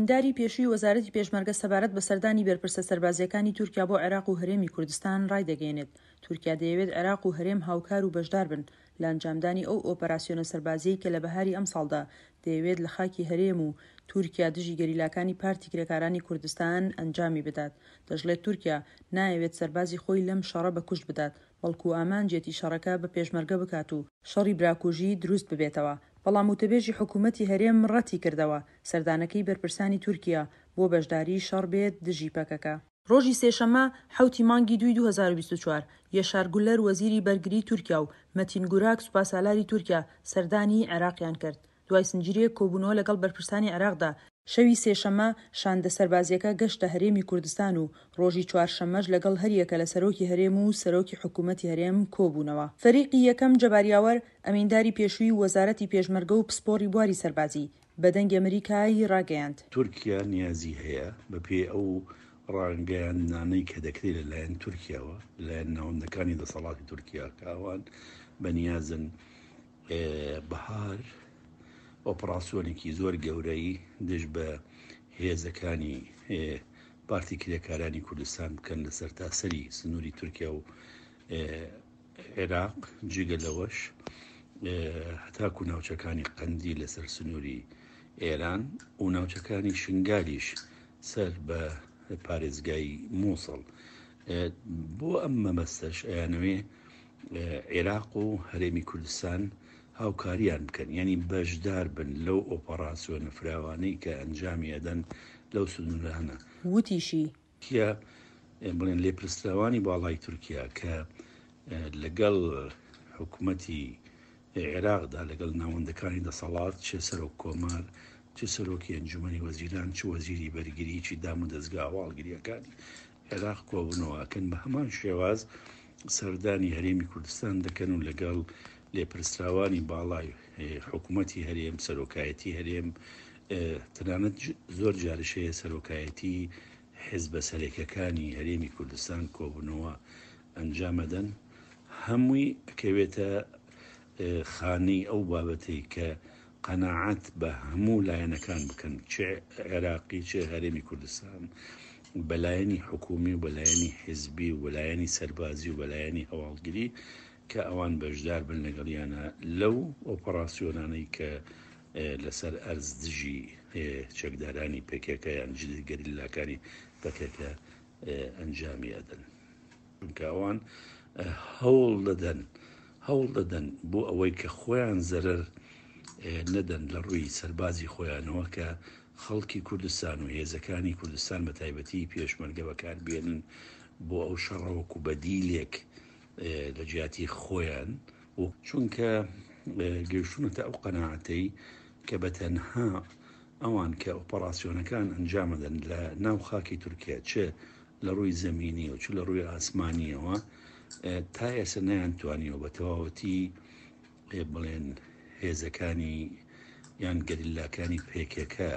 ئەمینداری پێشووی وەزارەتی پێشمەرگە سەبارەت بە سەردانی بەرپرسە سەربازییەکانی تورکیا بۆ عێراق و هەرێمی کوردستان ڕایدەگەیەنێت، تورکیا دەیەوێت عێراق و هەرێم هاوکار و بەشدار بن لە ئەنجامدانی ئەو ئۆپەراسیۆنە سەربازییەی کە لە بەهاری ئەمساڵدا دەیەوێت لە خاکی هەرێم و تورکیا دژی گەریلاکانی پارتی کرێکارانی کوردستان ئەنجامی بدات. دەشڵێت تورکیا نایەوێت سەربازی خۆی لەم شەڕە بە کوشت بدات، بەڵکو ئامانجیەتی شەڕەکە بە پێشمەرگە بکات و شەڕی براکوژی دروست ببێتەوە، بەڵام وتەبێژی حکومەتی هەرێم ڕەتی کردەوە سەردانەکەی بەرپرسانی تورکیا بۆ بەشداریی شەڕ بێت دژی پەکەکە. ڕۆژی سێشەممە حەوتی مانگی دووی 2024، یەشار گولەر وەزیری بەرگریی تورکیا و مەتین گوراک سوپاسالاری تورکیا سەردانی عێراقیان کرد. دوای زنجیرەیەک کۆبوونەوە لەگەڵ بەرپرسانی عێراقدا، شەوی سێشەممە شاندە سەربازییەکە گەشتە هەرێمی کوردستان و ڕۆژی چوارشەممەش لەگەڵ هەریەکە لە سەرۆکی هەرێم و سەرۆکی حکوومەتی هەرێم کۆبوونەوە. فەریقی یەکەم جەبار یاوەر، ئەمینداری پێشووی وەزارەتی پێشمەرگە و پسپۆڕی بواری سەربازی، بە دەنگی ئەمریکای ڕاگەیاند. تورکیا نیازی هەیە بەپێی ئەو ڕاگەیاندنانەی کە دەکرێت لەلایەن تورکیاوە، لەلایەن ناوەندەکانی دەسەڵاتی تورکیا کە ئەوان بەنیازن بەهار ئۆپڕاسیۆنێکی زۆر گەورەی دژ بە هێزەکانی پارتی کرێکارانی کوردستان بکەن لە سەرتاسەری سنووری تورکیا و عێراق جگە لەوەش هەتاکو ناوچەکانی قەندی لەسەر سنووری ئێران و ناوچەکانی شنگالیش سەر بە پارێزگای مووسڵ بۆ ئەم مەبەستەش ئەیانەوێ عێراق و هەرێمی کوردستان هاوکاریان بکەن یعنی بەشدار بن لەو ئۆپەڕاسیۆنە فراوانەی کە ئەنجامی ئەدەن لەو سنوورانە. وتیشی. تورکیا بڵێن لێپرسراوانی باڵای تورکیا کە لەگەڵ حکومەتی عێراقدا لەگەڵ ناوەندەکانی دەسەڵات چ سەرۆک کۆمار چ سەرۆکی ئەنجومەنی وەزیران چ وەزیری بەرگری چ دام و دەزگا هەواڵگریەکانی عێراق کۆبوونەوە ئەکەن بە هەمان شێواز سەردانی هەرێمی کوردستان دەکەن و لەگەڵ لێپرسراوانی باڵای حکوومەتی هەرێم سەرۆکایەتی هەرێم تەنانەت زۆر جارش هەیە سەرۆکایەتی حزبە سەرەکەکانی هەرێمی کوردستان کۆبوونەوە ئەنجامەدەن هەمووی ئەکەوێتە خانەی ئەو بابەتەی کە قەناعەت بە هەموو لایەنەکان بکەن چ عێراقی چ هەرێمی کوردستان بە لایەنی حکومی و بە لایەنی حیزبی و بە لایەنی سەربازی و بە لایەنی هەواڵگری کە ئەوان بەشدار بن لەگەڵیانە لەو ئۆپەڕاسیۆنانەی کە لەسەر ئەرز دژی چەکدارانی پەکەکە یان گەریلاکانی پەکەکە ئەنجامی ئەدەن. چونکە ئەوان هەوڵ دەدەن هەوڵ دەدەن بۆ ئەوەی کە خۆیان زەرەر نەدەن لە ڕووی سەربازی خۆیانەوە کە خەڵکی کوردستان و هێزەکانی کوردستان بە تایبەتی پێشمەرگە بەکاربێنن بۆ ئەو شەڕە وەکو بەدیلێک لە جیاتی خۆیان و چونکە گەیشتونەتە ئەو قەناعەتەی کە بە تەنها ئەوان کە ئۆپەراسیۆنەکان ئەنجامەدەن لە ناو خاکی تورکیا چ لە ڕووی زەمینی و چ لە ڕووی ئاسمانیەوە تا ئێستا نەیانتوانیوە بە تەواوەتی بڵێن هێزەکانی یان گەریلاکانی پێکێکە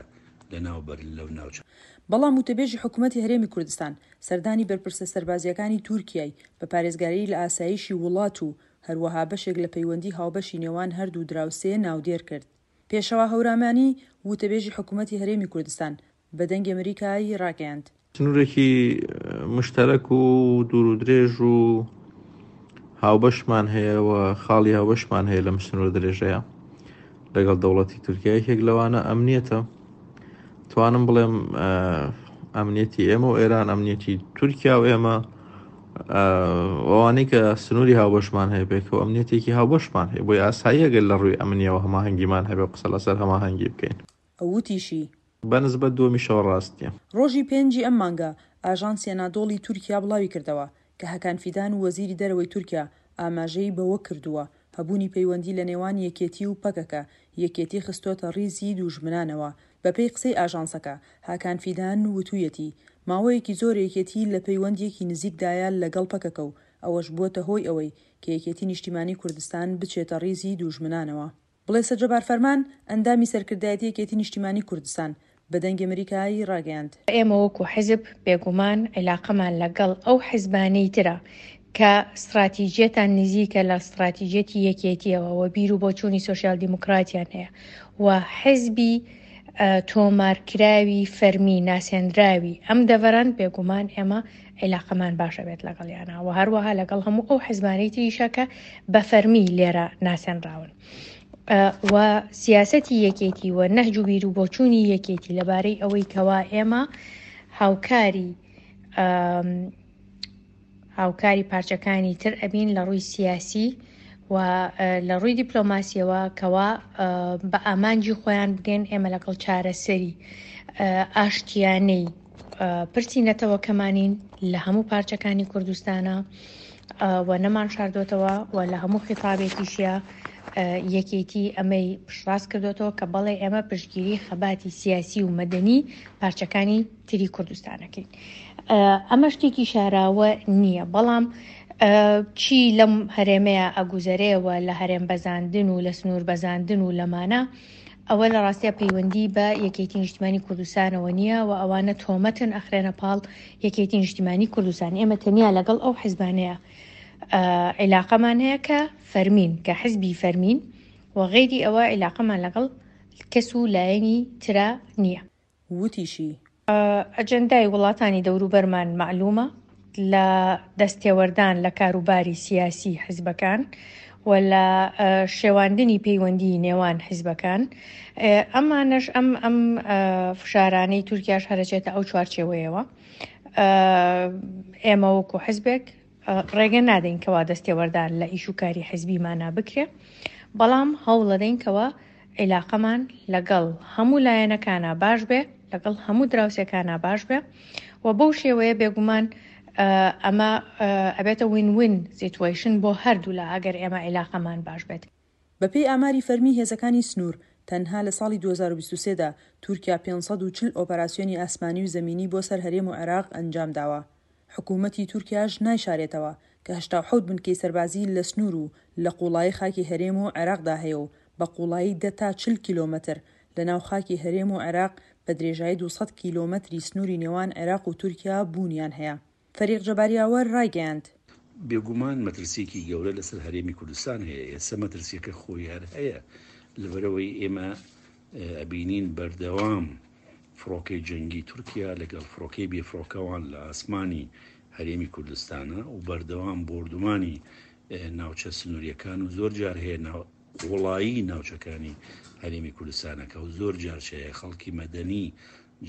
لەناو بەرن لەو ناوچە. بەڵام وتەبێژی حکومەتی هەرێمی کوردستان سەردانی بەرپرسە سەربازییەکانی تورکیای بە پارێزگاریی لە ئاسایشی وڵات و هەروەها بەشێک لە پەیوەندی هاوبەشی نێوان هەردوو دراوسێ ناودێر کرد. پێشەوا هەورامانی، وتەبێژی حکومەتی هەرێمی کوردستان بە دەنگی ئەمریکای ڕاگەیاند. سنوورێکی مشتەرەک و دوور و درێژ و هاوبەشمان هەیە و خاڵی هاوبەشمان هەیە لەم سنوورە درێژەیە لەگەڵ دەوڵەتی تورکیا یەکێک لەوانە ئەمنیەتە توانم بڵێم ئەمنیەتی ئێمە و ئێران ئەمنیەتی تورکیا و ئێمە ئەوانەی کە سنووری هاوبەشمان هەیە پێکەوە ئەمنیەتێکی هاوبەشمان هەیە بۆی ئاساییە گەر لە ڕووی ئەمنیەوە هەماهەنگیمان هەبێ قسە لەسەر هەماهەنگی بکەین. ئەو وتیشی، بە نسبەت دووەمیشەوە ڕاست نییە. ڕۆژی پێنجی ئەم مانگە، ئاژانسی ئەنادۆڵی تورکیا بڵاویکردەوە کە هەکان فیدان وەزیری دەرەوەی تورکیا ئاماژەی بەوە کردووە، هەبوونی پەیوەندی لە نێوان یەکێتی و پەکەکە، یەکێتی خستۆتە ڕیزی دووژمنانەوە. بەپێی قسەی ئاژانسەکە، هاکان فیدان وتوویەتی، ماوەیەکی زۆرە یەکێتی لە پەیوەندییەکی نزیکدایە لەگەڵ پەکەکە و ئەوەش بووەتە هۆی ئەوەی کە یەکێتی نیشتیمانی کوردستان بچێتە ڕیزی دووژمنانەوە. بڵێسە جەبار فەرمان، ئەندامی سەرکردایەتی یەکێتی نیشتیمانی کوردستان، بە دەنگی ئەمریکای ڕاگەیاند. ئێمە وەکو حیزب بێگومان عیلاقەمان لە گەڵ ئەو حیزبانەی ترە کە ستڕاتیجیەتان نزیکە لە ستڕاتیجیەتی یەکێتیەوە و بیر و بۆچوونی سۆسیال دیموکراتیان هەیە و حیزبی. تۆمارکراوی فەرمی ناسێنراوی ئەم دەڤەرەن بێگومان ئێمە عیلاقەمان باش ئەبێت لەگەڵیانا و هەروەها لەگەڵ هەموو ئەو حزبانەی تریشە کە بە فەرمی لێرە ناسێنراون و سیاسەتی یەکێتی و نەهج و بیر و بۆچوونی یەکێتی لەبارەی ئەوەی کەوا ئێمە هاوکاری هاوکاری پارچەکانی تر ئەبین لە ڕووی سیاسی و لە ڕووی دیپلۆماسیەوە کەوا بە ئامانجی خۆیان بگەن ئێمە لەگەڵ چارەسەری ئاشتیانەی پرسی نەتەوەکەمانین لە هەموو پارچەکانی کوردستانە و نەمان شاردۆتەوە و لە هەموو خیتابێکیشە یەکێتی ئەمەی پشتڕاست کردوێتەوە کە بەڵێ ئێمە پشتگیری خەباتی سیاسی و مەدەنی پارچەکانی تری کوردستانەکەین ئەمە شتێکی شاراوە نییە بەڵام چی لەم هەرێمەیە ئەگوزەرێەوە لە هەرێم بەزاندن و لە سنوور بەزاندن و لەمانە ئەوە لە ڕاستیا پەیوەندی بە یەکێتی نیشتمانی کوردستانەوە نییە و ئەوانە تۆمەتن ئەخرێنە پاڵ یەکێتی نیشتیمانی کوردستان ئێمە تەنیا لەگەڵ ئەو حزبانەیە عیلاقەمان هەیە کە فەرمین کە حزبی فەرمین و غەیری ئەوە عیلاقەمان لەگەڵ کەس و لایەنی ترا نییە. وتیشی. ئەجێندای وڵاتانی دەوروبەرمان مەعلومە لە دەستێوەردان لە کاروباری سیاسی حیزبەکان و لە شێواندنی پەیوەندی نێوان حیزبەکان ئەمانەش ئەم ئەم فشارانەی تورکیاش هەرەچێتە ئەو چوارچێوەیەوە ئێمە وەکو حیزبێک ڕێگە نادەین کەوا دەستێوەردان لە ئیش و کاری حیزبیمانا بکرێ، بەڵام هەوڵەدەین کەوا عیلاقەمان لەگەڵ هەموو لایەنەکانا باش بێ، لەگەڵ هەموو دراوسێکانا باش بێ و بەو شێوەیە بێگومان ئەمە ئەبێتە win win situation بۆ هەردوولا ئەگەر ئێمە عیلاقەمان باش بێت. بەپێی ئاماری فەرمی هێزەکانی سنوور، تەنها لە ساڵی 2023 دا تورکیا 540 ئۆپەراسیۆنی ئاسمانی و زەمینی بۆ سەر هەرێم و عێراق ئەنجامداوە. حکوومەتی تورکیاش نایشارێتەوە کە 87 بنکەی سەربازی لە سنوور و لە قووڵایی خاکی هەرێم و عێراقدا هەیە و بە قووڵایی دە تا 40 کیلۆمەتر لە ناو خاکی هەرێم و عێراق بە درێژایی 200 کیلۆمەتری سنووری نێوان عێراق و تورکیا بوونیان هەیە. فەریق جەبار یاوەر ڕایگەیاند. بێگومان مەترسییەکی گەورە لەسەر هەرێمی کوردستان هەیە، ئێستا مەترسییەکە خۆی هەر هەیە، لەبەرئەوەی ئێمە ئەبینین بەردەوام فڕۆکەی جەنگی تورکیا لەگەڵ فڕۆکەی بێفڕۆکەوان لە ئاسمانی هەرێمی کوردستانە و بەردەوام بۆردومانی ناوچە سنووریەکان و زۆر جار هەیە قوڵایی ناوچەکانی هەرێمی کوردستانەکە و زۆر جار هەیە خەڵکی مەدەنی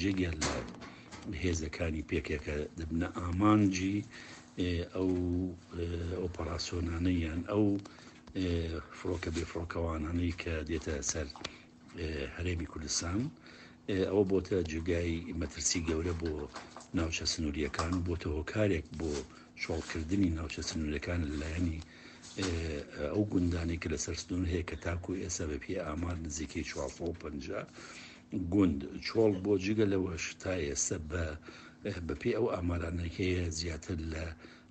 جگە لە هێزەکانی پێکێکە دەبنە ئامانجی ئەو ئۆپەراسیۆنانە یان ئەو فڕۆکە بێفڕۆکەوانانەی کە دێتە سەر هەرێمی کوردستان ئەوە بۆتە جێگای مەترسی گەورە بۆ ناوچە سنووریەکان و بۆتە هۆکارێک بۆ چۆڵکردنی ناوچە سنوورەکان لەلایەنی ئەو گوندانەی کە لەسەر سنوور هەیە کە تاکو ئێستا بە پێی ئامار نزیکەی 450 گوند چۆڵ بۆ جگە لەوەش تا ئێستا بە بەپێی ئەو ئامارانەی هەیە زیاتر لە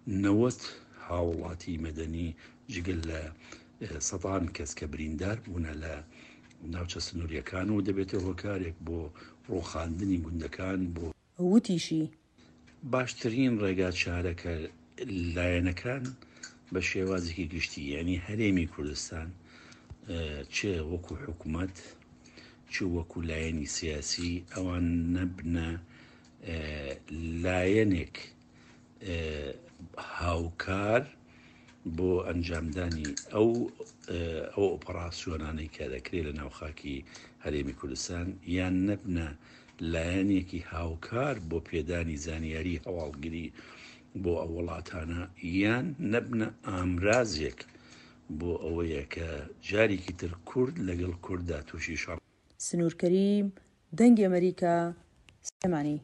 90 هاوڵاتی مەدەنی جگە لە سەدان کەس کە بریندار بوونە لە ناوچە سنووریەکان و دەبێتە هۆکارێک بۆ ڕووخاندنی گوندەکان بۆ وتیشی. باشترین ڕێگا چارە کە لایەنەکان بە شێوازێکی گشتی یعنی هەرێمی کوردستان چ وەکو حکوومەت چ وەکو لایەنی سیاسی ئەوان نەبنە لایەنێک هاوکار بۆ ئەنجامدانی ئەو ئەو ئۆپەراسیۆنانەی کە دەکرێت لە ناو خاکی هەرێمی کوردستان یان نەبنە لایەنێکی هاوکار بۆ پێدانی زانیاری هەواڵگری بۆ ئەو وڵاتانە یان نەبنە ئامرازێک بۆ ئەوەیە کە جارێکی تر کورد لەگەڵ کورددا تووشی شەڕ سنوور کەریم، دەنگی ئەمەریکا، سلێمانی.